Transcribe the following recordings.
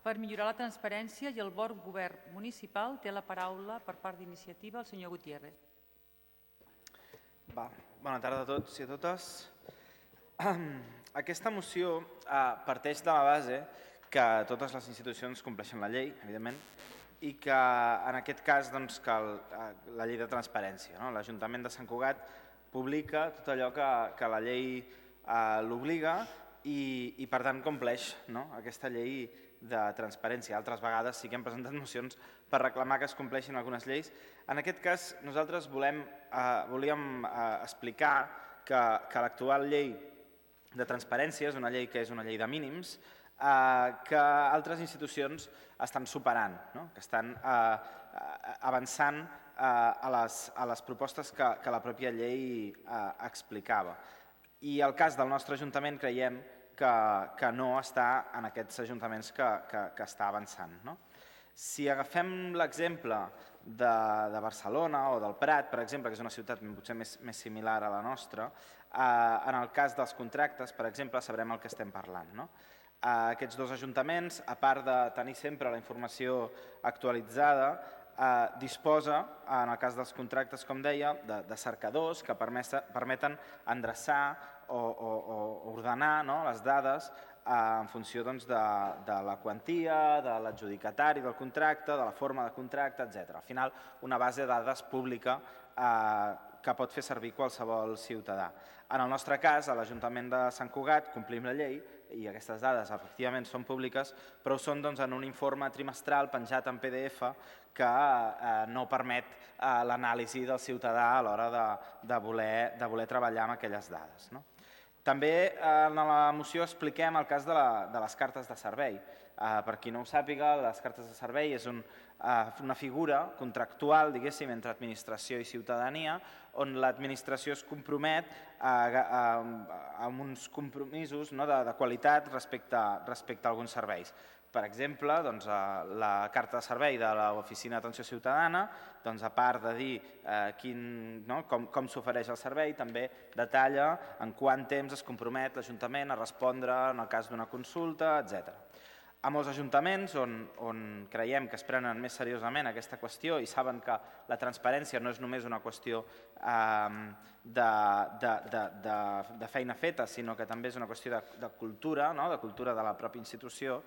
Per millorar la transparència i el bon govern municipal té la paraula per part d'iniciativa el senyor Gutiérrez. Bona tarda a tots i a totes. Aquesta moció parteix de la base que totes les institucions compleixen la llei, evidentment, i que en aquest cas que la llei de transparència. L'Ajuntament de Sant Cugat publica tot allò que la llei l'obliga i per tant compleix aquesta llei de transparència. Altres vegades sí que hem presentat mocions per reclamar que es compleixin algunes lleis. En aquest cas nosaltres volíem explicar que l'actual llei de transparència és una llei que és una llei de mínims que altres institucions estan superant, que estan avançant a les propostes que la pròpia llei explicava. I el cas del nostre Ajuntament creiem que no està en aquests ajuntaments que està avançant. Si agafem l'exemple de Barcelona o del Prat, per exemple, que és una ciutat potser més similar a la nostra, en el cas dels contractes, per exemple, sabrem el que estem parlant. Aquests dos ajuntaments, a part de tenir sempre la informació actualitzada, disposa, en el cas dels contractes, com deia, de cercadors que permeten endreçar o ordenar les dades en funció de la quantia, de l'adjudicatari del contracte, de la forma de contracte, etc. Al final, una base de dades pública que pot fer servir qualsevol ciutadà. En el nostre cas, a l'Ajuntament de Sant Cugat, complim la llei i aquestes dades efectivament són públiques, però ho són en un informe trimestral penjat en PDF que no permet l'anàlisi del ciutadà a l'hora de voler treballar amb aquelles dades. També en la moció expliquem el cas de les cartes de servei. Per qui no ho sàpiga, les cartes de servei és una figura contractual, diguéssim, entre administració i ciutadania, on l'administració es compromet a uns compromisos de qualitat respecte a alguns serveis. Per exemple, la carta de servei de l'Oficina d'Atenció Ciutadana, a part de dir com s'ofereix el servei, també detalla en quant temps es compromet l'Ajuntament a respondre en el cas d'una consulta, etc. A molts ajuntaments on creiem que es prenen més seriosament aquesta qüestió i saben que la transparència no és només una qüestió de feina feta, sinó que també és una qüestió de cultura, de cultura de la pròpia institució,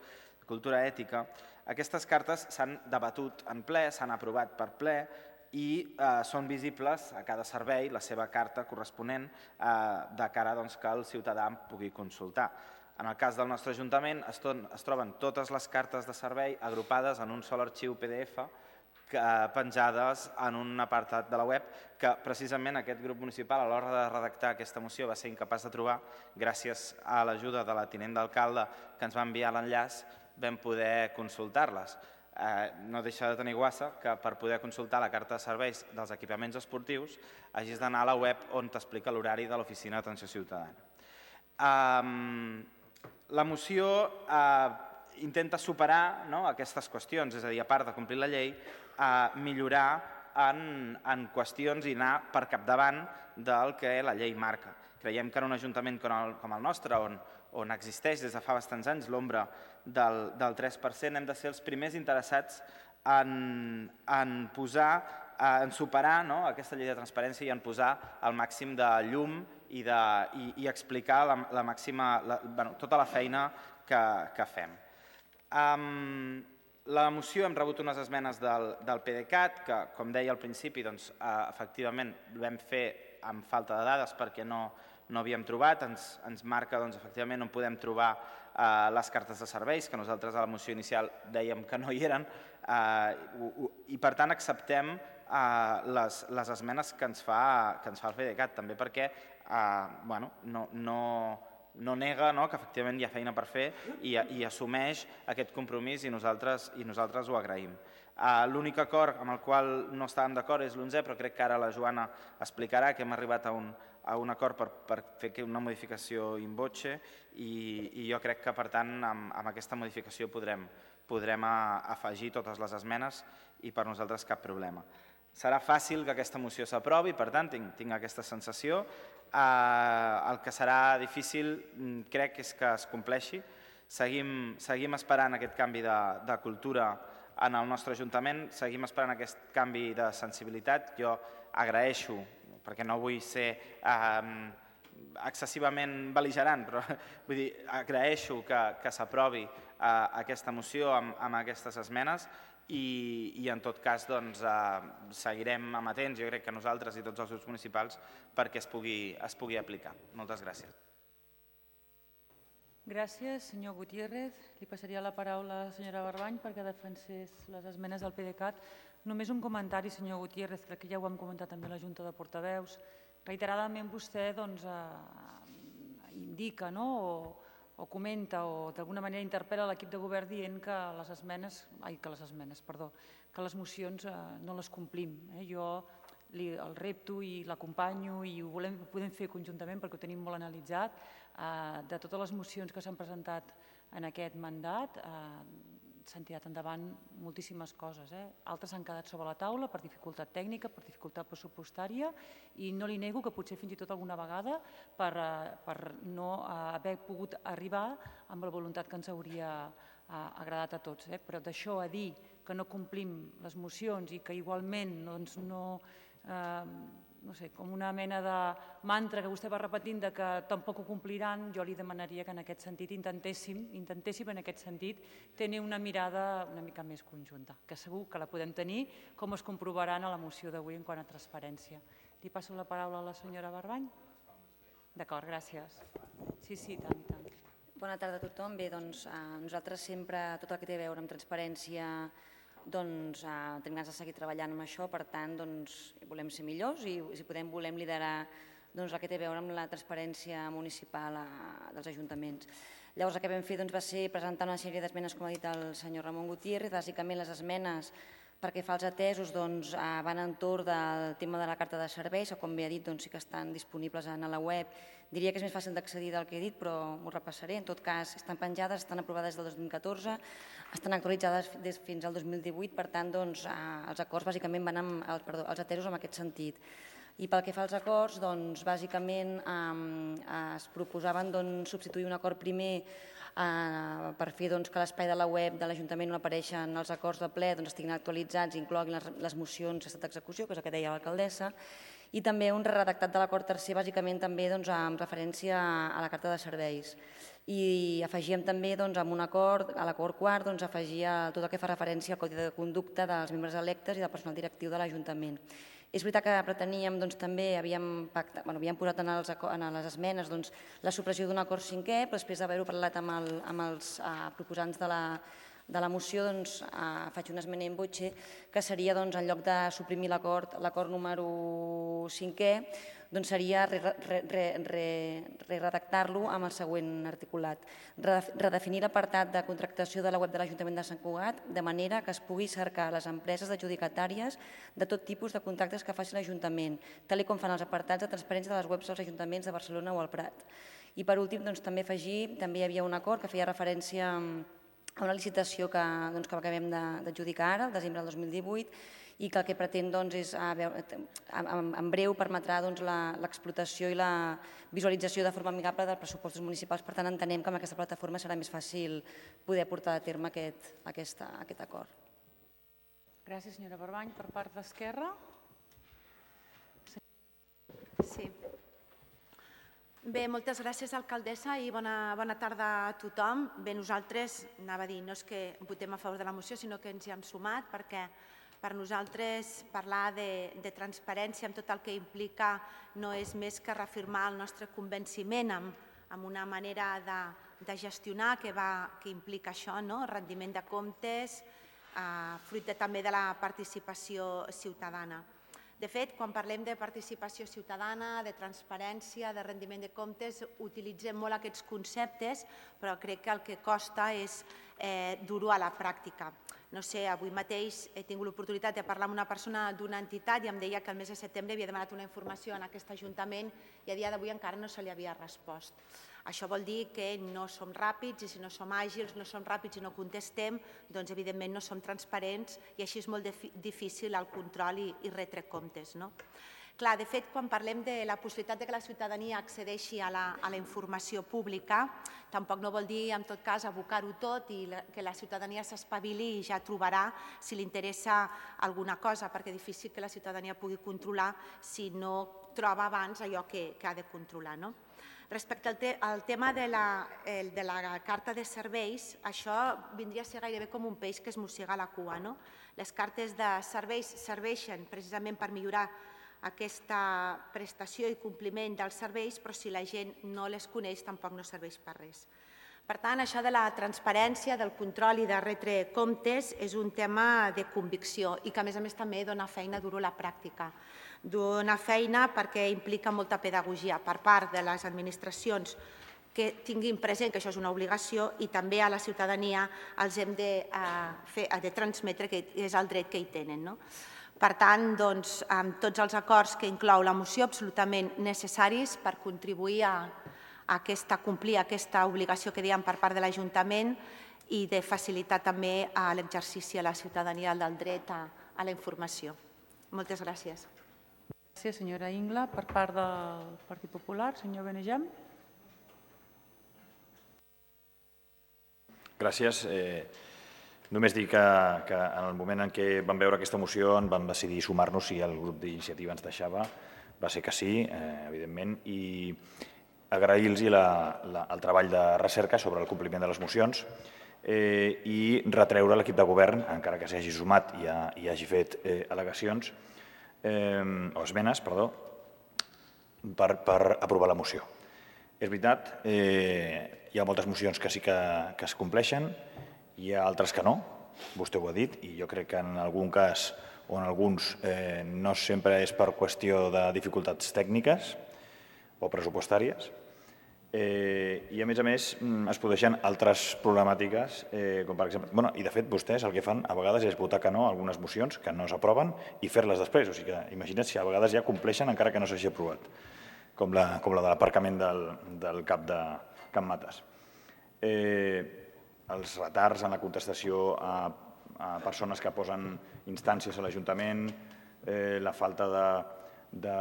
cultura ètica, aquestes cartes s'han debatut en ple, s'han aprovat per ple i són visibles a cada servei la seva carta corresponent de cara que el ciutadà pugui consultar. En el cas del nostre Ajuntament es troben totes les cartes de servei agrupades en un sol arxiu PDF penjades en un apartat de la web que precisament aquest grup municipal a l'hora de redactar aquesta moció va ser incapaç de trobar. Gràcies a l'ajuda de la tinent d'alcalde que ens va enviar l'enllaç vam poder consultar-les. No deixa de tenir guassa que per poder consultar la carta de serveis dels equipaments esportius hagis d'anar a la web on t'explica l'horari de l'Oficina d'Atenció Ciutadana. La moció intenta superar aquestes qüestions, és a dir, a part de complir la llei, millorar en qüestions i anar per capdavant del que la llei marca. Creiem que en un ajuntament com el nostre, on existeix des de fa bastants anys l'ombra del 3%, hem de ser els primers interessats en superar aquesta llei de transparència i en posar el màxim de llum i explicar tota la feina que fem. La moció hem rebut unes esmenes del PDeCAT que, com deia al principi, efectivament vam fer amb falta de dades perquè no havíem trobat, ens marca efectivament on podem trobar les cartes de serveis, que nosaltres a la moció inicial dèiem que no hi eren, i per tant acceptem les esmenes que ens fa el PDeCAT, també perquè no nega que efectivament hi ha feina per fer i assumeix aquest compromís i nosaltres ho agraïm. L'únic acord amb el qual no estàvem d'acord és l'11è, però crec que ara la Joana explicarà que hem arribat a un acord per fer una modificació in voce i jo crec que per tant amb aquesta modificació podrem afegir totes les esmenes i per nosaltres cap problema. Serà fàcil que aquesta moció s'aprovi, per tant tinc aquesta sensació. El que serà difícil crec és que es compleixi. Seguim esperant aquest canvi de cultura en el nostre Ajuntament, seguim esperant aquest canvi de sensibilitat. Jo agraeixo, perquè no vull ser excessivament bel·ligerant, però vull dir, agraeixo que s'aprovi aquesta moció amb aquestes esmenes i en tot cas seguirem amatents, jo crec que nosaltres i tots els grups municipals, perquè es pugui aplicar. Moltes gràcies. Gràcies, senyor Gutiérrez. Li passaria la paraula a la senyora Barbany perquè defensés les esmenes del PDeCAT. Només un comentari, senyor Gutiérrez, crec que ja ho hem comentat també a la Junta de Portaveus. Reiteradament vostè indica o comenta o d'alguna manera interpel·la l'equip de govern dient que les mocions no les complim. Jo el repto i l'acompanyo i ho podem fer conjuntament perquè ho tenim molt analitzat. De totes les mocions que s'han presentat en aquest mandat s'han tirat endavant moltíssimes coses. Altres s'han quedat sobre la taula per dificultat tècnica, per dificultat pressupostària i no li nego que potser fins i tot alguna vegada per no haver pogut arribar amb la voluntat que ens hauria agradat a tots. Però d'això a dir que no complim les mocions i que igualment no sé, com una mena de mantra que vostè va repetint que tampoc ho compliran, jo li demanaria que en aquest sentit intentéssim en aquest sentit tenir una mirada una mica més conjunta, que segur que la podem tenir, com es comprovaran a la moció d'avui en quant a transparència. Li passo la paraula a la senyora Barbany? D'acord, gràcies. Sí, tant i tant. Bona tarda a tothom. Bé, doncs nosaltres sempre, tot el que té a veure amb transparència, doncs tenim ganes de seguir treballant amb això, per tant volem ser millors i si podem volem liderar el que té a veure amb la transparència municipal dels ajuntaments. Llavors el que vam fer va ser presentar una sèrie d'esmenes, com ha dit el senyor Ramon Gutiérrez. Bàsicament les esmenes perquè fa els atesos van entorn del tema de la carta de serveis, que com bé ha dit sí que estan disponibles a la web. Diria que és més fàcil d'accedir del que he dit, però m'ho repassaré. En tot cas, estan penjades, estan aprovades des del 2014, estan actualitzades fins al 2018, per tant, els acords bàsicament van els atesos en aquest sentit. I pel que fa als acords, bàsicament es proposaven substituir un acord primer per fer que l'espai de la web de l'Ajuntament on apareixen els acords de ple estiguin actualitzats i incloguin les mocions d'estat d'execució, que és el que deia l'alcaldessa, i també un redactat de l'acord tercer, bàsicament també amb referència a la carta de serveis. I afegíem també amb un acord, a l'acord quart, afegia tot el que fa referència al codi de conducta dels membres electes i del personal directiu de l'Ajuntament. És veritat que preteníem també, havíem posat en les esmenes la supressió d'un acord cinquè, però després d'haver-ho parlat amb els proposants de la moció faig una esmena in voce que seria, en lloc de suprimir l'acord número 5è, seria redactar-lo amb el següent articulat. Redefinir l'apartat de contractació de la web de l'Ajuntament de Sant Cugat de manera que es pugui cercar les empreses adjudicatàries de tot tipus de contractes que faci l'Ajuntament, tal com fan els apartats de transparència de les webs dels ajuntaments de Barcelona o el Prat. I per últim també afegir, també hi havia un acord que feia referència a una licitació que acabem d'adjudicar ara, el desembre del 2018, i que el que pretén és, en breu, permetrà l'explotació i la visualització de forma amigable dels pressupostos municipals. Per tant, entenem que amb aquesta plataforma serà més fàcil poder portar a terme aquest acord. Gràcies, senyora Barbany. Per part d'Esquerra? Sí. Bé, moltes gràcies, alcaldessa, i bona tarda a tothom. Bé, nosaltres, anava a dir, no és que votem a favor de la moció, sinó que ens hi hem sumat perquè per nosaltres parlar de transparència amb tot el que implica no és més que reafirmar el nostre convenciment amb una manera de gestionar que implica això, rendiment de comptes, fruit també de la participació ciutadana. De fet, quan parlem de participació ciutadana, de transparència, de rendiment de comptes, utilitzem molt aquests conceptes, però crec que el que costa és dur-ho a la pràctica. No sé, avui mateix he tingut l'oportunitat de parlar amb una persona d'una entitat i em deia que el mes de setembre havia demanat una informació en aquest Ajuntament i a dia d'avui encara no se li havia respost. Això vol dir que no som ràpids i si no som àgils, no som ràpids i no contestem, doncs evidentment no som transparents i així és molt difícil el control i retre comptes. Clar, de fet, quan parlem de la possibilitat que la ciutadania accedeixi a la informació pública, tampoc no vol dir, en tot cas, abocar-ho tot i que la ciutadania s'espavili i ja trobarà si li interessa alguna cosa, perquè és difícil que la ciutadania pugui controlar si no troba abans allò que ha de controlar. Respecte al tema de la carta de serveis, això vindria a ser gairebé com un peix que es mossega la cua. Les cartes de serveis serveixen precisament per millorar aquesta prestació i compliment dels serveis, però si la gent no les coneix tampoc no serveix per res. Per tant, això de la transparència, del control i de retre comptes és un tema de convicció i que a més també dona feina dur a la pràctica. Dona feina perquè implica molta pedagogia per part de les administracions que tinguin present que això és una obligació i també a la ciutadania els hem de transmetre que és el dret que hi tenen. Per tant, amb tots els acords que inclou la moció, absolutament necessaris per contribuir a complir aquesta obligació que dèiem per part de l'Ajuntament i de facilitar també l'exercici a la ciutadania del dret a la informació. Moltes gràcies. Gràcies, senyora Ingla. Per part del Partit Popular, senyor Benejam. Gràcies. Només dir que en el moment en què vam veure aquesta moció en vam decidir sumar-nos si el grup d'iniciativa ens deixava. Va ser que sí, evidentment, i agrair-los el treball de recerca sobre el compliment de les mocions i retreure l'equip de govern, encara que s'hagi sumat i hagi fet al·legacions, o esmenes, perdó, per aprovar la moció. És veritat, hi ha moltes mocions que sí que es compleixen, hi ha altres que no, vostè ho ha dit, i jo crec que en algun cas o en alguns no sempre és per qüestió de dificultats tècniques o pressupostàries, i a més es produeixen altres problemàtiques, com per exemple, i de fet vostès el que fan a vegades és votar que no a algunes mocions que no s'aproven i fer-les després, o sigui que imagina't si a vegades ja compleixen encara que no s'hagi aprovat, com la de l'aparcament del CAP de Can Mates. Els retards en la contestació a persones que posen instàncies a l'Ajuntament, la falta de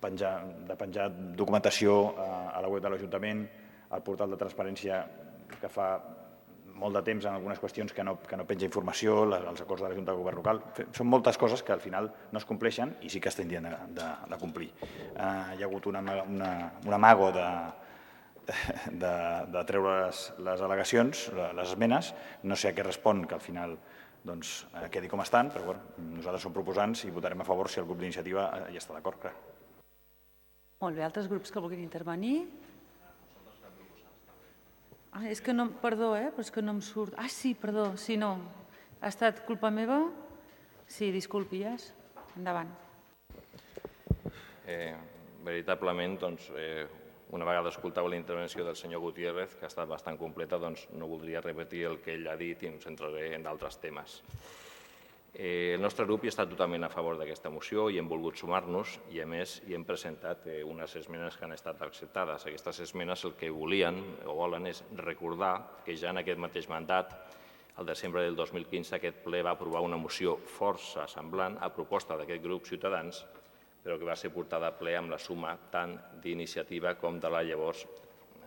penjar documentació a la web de l'Ajuntament, el portal de transparència que fa molt de temps en algunes qüestions que no penja informació, els acords de la Junta de Govern local. Són moltes coses que al final no es compleixen i sí que es tindrien de complir. Hi ha hagut un amago de treure les al·legacions, les esmenes, no sé a què respon que al final quedi com estan, però nosaltres som proposants i votarem a favor si el grup d'iniciativa hi està d'acord. Molt bé, altres grups que vulguin intervenir? És que no, perdó, però és que no em surt. Sí, perdó, sí, no. Ha estat culpa meva? Sí, disculpi, endavant. Veritablement, una vegada escoltava la intervenció del senyor Gutiérrez, que ha estat bastant completa, no voldria repetir el que ell ha dit i em centraré en d'altres temes. El nostre grup hi està totalment a favor d'aquesta moció i hem volgut sumar-nos i, a més, hi hem presentat unes esmenes que han estat acceptades. Aquestes esmenes el que volien o volen és recordar que ja en aquest mateix mandat, el desembre del 2015, aquest ple va aprovar una moció força semblant a proposta d'aquest grup Ciutadans, però que va ser portada a ple amb la suma tant d'iniciativa com de la llavors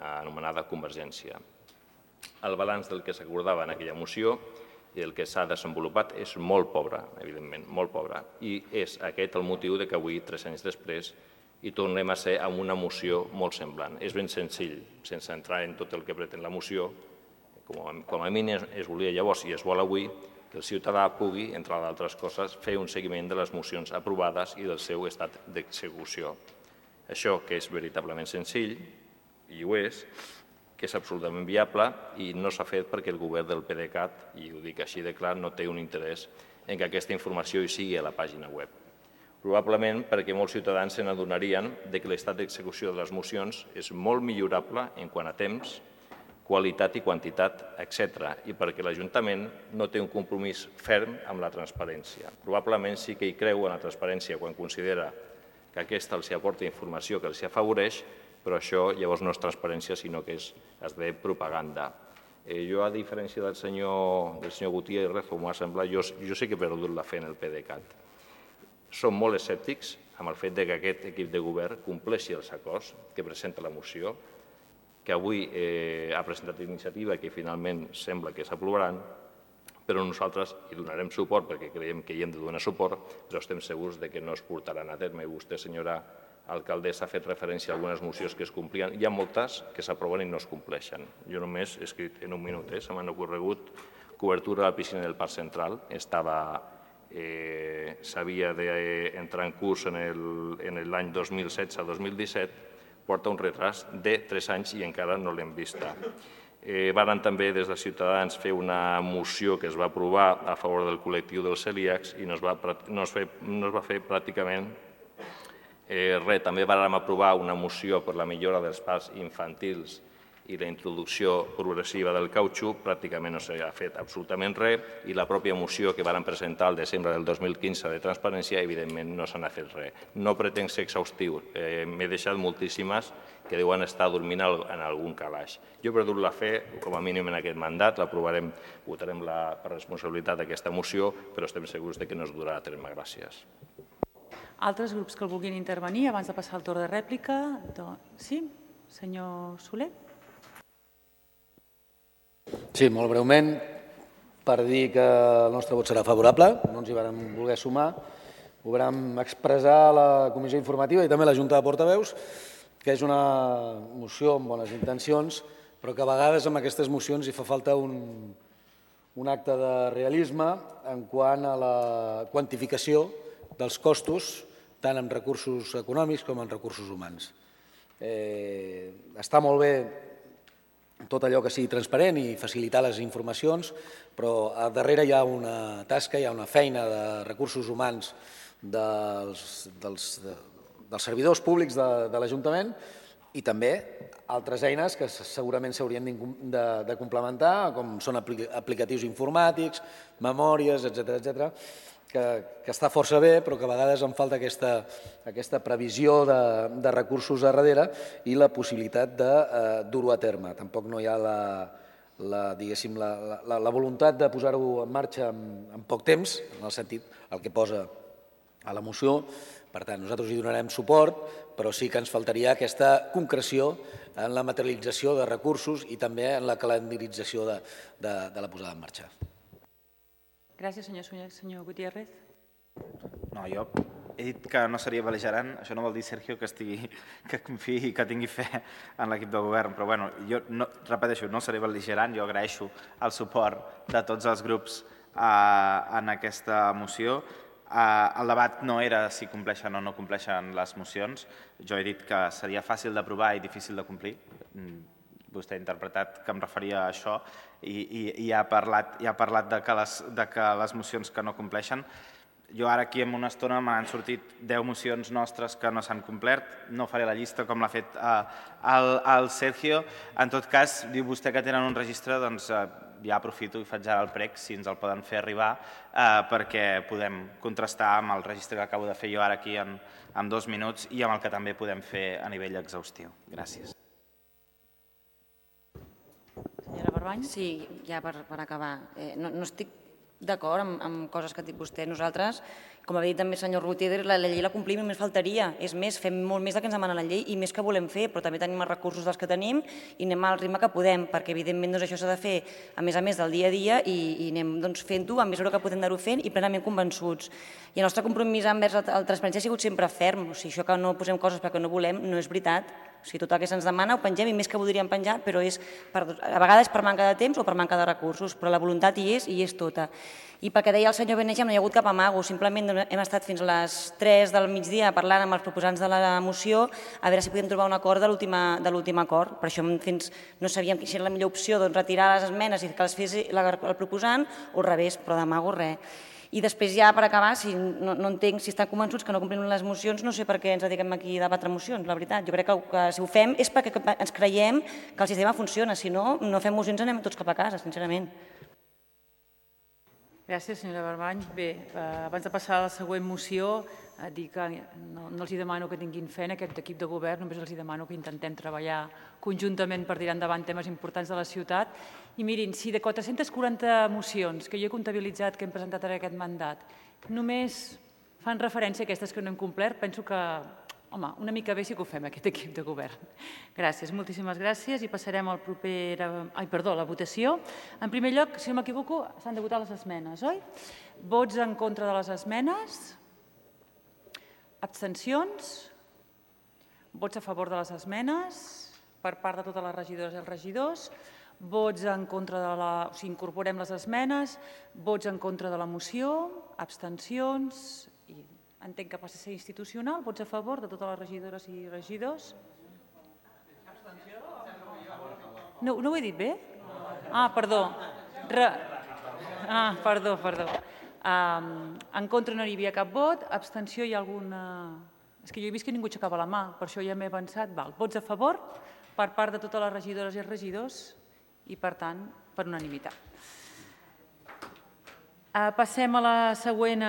anomenada Convergència. El balanç del que s'acordava en aquella moció i el que s'ha desenvolupat és molt pobre, evidentment, molt pobre. I és aquest el motiu que avui, 3 anys després, hi tornem a ser amb una moció molt semblant. És ben senzill, sense entrar en tot el que pretén la moció, com a mínim es volia llavors i es vol avui, que el ciutadà pugui, entre d'altres coses, fer un seguiment de les mocions aprovades i del seu estat d'execució. Això, que és veritablement senzill, i ho és, que és absolutament viable i no s'ha fet perquè el govern del PDeCAT, i ho dic així de clar, no té un interès en que aquesta informació hi sigui a la pàgina web. Probablement perquè molts ciutadans se n'adonarien que l'estat d'execució de les mocions és molt millorable en quant a temps, qualitat i quantitat, etc. I perquè l'Ajuntament no té un compromís ferm amb la transparència. Probablement sí que hi creu en la transparència quan considera que aquesta els aporta informació que els afavoreix, però això llavors no és transparència, sinó que és propaganda. Jo, a diferència del senyor Gutiérrez, com m'ha semblat, jo sí que he perdut la fe en el PDeCAT. Som molt escèptics amb el fet que aquest equip de govern compleixi els acords que presenta la moció, que avui ha presentat iniciativa i que finalment sembla que s'aprovaran, però nosaltres hi donarem suport perquè creiem que hi hem de donar suport, però estem segurs que no es portaran a terme. Vostè, senyora alcaldessa, ha fet referència a algunes mocions que es complien. Hi ha moltes que s'aproven i no es compleixen. Jo només he escrit en un minut, se m'han ocorregut cobertura de la piscina del Parc Central, s'havia d'entrar en curs en l'any 2016-2017, porta un retras de 3 anys i encara no l'hem vista. Varen també des de Ciutadans fer una moció que es va aprovar a favor del col·lectiu dels celíacs i no es va fer pràcticament res. També vàrem aprovar una moció per la millora dels parcs infantils i la introducció progressiva del cautxú, pràcticament no s'ha fet absolutament res, i la pròpia moció que varen presentar al desembre del 2015 de transparència, evidentment no se n'ha fet res. No pretenc ser exhaustiu, m'he deixat moltíssimes que deuen estar dormint en algun calaix. Jo he perdut la fe, com a mínim en aquest mandat, l'aprovarem, votarem per responsabilitat d'aquesta moció, però estem segurs que no es durà a terme. Gràcies. Altres grups que el vulguin intervenir abans de passar al torn de rèplica? Sí? Senyor Soler? Sí, molt breument, per dir que el nostre vot serà favorable, no ens hi vam voler sumar, ho vam expressar a la comissió informativa i també a la Junta de Portaveus, que és una moció amb bones intencions, però que a vegades amb aquestes mocions hi fa falta un acte de realisme en quant a la quantificació dels costos, tant en recursos econòmics com en recursos humans. Està molt bé tot allò que sigui transparent i facilitar les informacions, però a darrere hi ha una tasca, hi ha una feina de recursos humans dels servidors públics de l'Ajuntament i també altres eines que segurament s'haurien de complementar, com són aplicatius informàtics, memòries, etcètera, que està força bé, però que a vegades en falta aquesta previsió de recursos a darrere i la possibilitat de dur-ho a terme. Tampoc no hi ha la voluntat de posar-ho en marxa en poc temps, en el sentit, el que posa a la moció. Per tant, nosaltres hi donarem suport, però sí que ens faltaria aquesta concreció en la materialització de recursos i també en la calendarització de la posada en marxa. Gràcies, senyor Gutiérrez. No, jo he dit que no seria bel·ligerant, això no vol dir, Sergio, que confiï i que tingui fe en l'equip de govern, però bueno, jo repeteixo, no seré bel·ligerant, jo agraeixo el suport de tots els grups en aquesta moció. El debat no era si compleixen o no compleixen les mocions, jo he dit que seria fàcil d'aprovar i difícil de complir. Vostè ha interpretat que em referia a això i ha parlat de que les mocions que no compleixen. Jo ara aquí en una estona m'han sortit 10 mocions nostres que no s'han complert, no faré la llista com l'ha fet el Sergio. En tot cas, diu vostè que tenen un registre, doncs ja aprofito i faig ara el prec, si ens el poden fer arribar, perquè podem contrastar amb el registre que acabo de fer jo ara aquí en 2 minuts i amb el que també podem fer a nivell exhaustiu. Gràcies. Senyora Barbany? Sí, ja per acabar. No estic d'acord amb coses que ha dit vostè. Nosaltres, com ha dit també el senyor Gutiérrez, la llei la complim i només faltaria. És més, fem molt més del que ens demana la llei i més que volem fer, però també tenim els recursos dels que tenim i anem al ritme que podem, perquè evidentment això s'ha de fer a més del dia a dia i anem fent-ho a mesura que podem anar-ho fent i plenament convençuts. I el nostre compromís envers la transparència ha sigut sempre ferm. O sigui, això que no posem coses perquè no volem no és veritat. O sigui, tot el que se'ns demana ho pengem i més que voldríem penjar, però a vegades per manca de temps o per manca de recursos, però la voluntat hi és tota. I pel que deia el senyor Beneja, no hi ha hagut cap amago, simplement hem estat fins a les 3 del migdia parlant amb els proposants de la moció a veure si podíem trobar un acord de l'últim acord. Per això no sabíem si era la millor opció retirar les esmenes i que les fes el proposant o al revés, però d'amago res. I després ja, per acabar, no entenc si estan convençuts que no complim les mocions, no sé per què ens dediquem aquí a debatre mocions, la veritat. Jo crec que si ho fem és perquè ens creiem que el sistema funciona, si no, no fem mocions i anem tots cap a casa, sincerament. Gràcies, senyora Barbany. Bé, abans de passar a la següent moció, dir que no els demano que tinguin fe en aquest equip de govern, només els demano que intentem treballar conjuntament per tirar endavant temes importants de la ciutat. I mirin, si de 440 mocions que jo he comptabilitzat que hem presentat en aquest mandat, només fan referència a aquestes que no hem complert. Penso que, home, una mica bé sí que ho fem, aquest equip de govern. Gràcies, moltíssimes gràcies i passarem a la votació. En primer lloc, si no m'equivoco, s'han de votar les esmenes, oi? Vots en contra de les esmenes? Abstencions? Vots a favor de les esmenes per part de totes les regidores i els regidors? Vots en contra de la... O sigui, incorporem les esmenes. Vots en contra de la moció? Abstencions? Entenc que passa a ser institucional. Vots a favor de totes les regidores i regidors? No ho he dit bé? Perdó. Perdó. En contra no hi havia cap vot. Abstenció hi ha alguna... És que jo he vist que ningú aixecava la mà, per això ja m'he avançat. Vots a favor per part de totes les regidores i regidors i, per tant, per unanimitat. Passem a la següent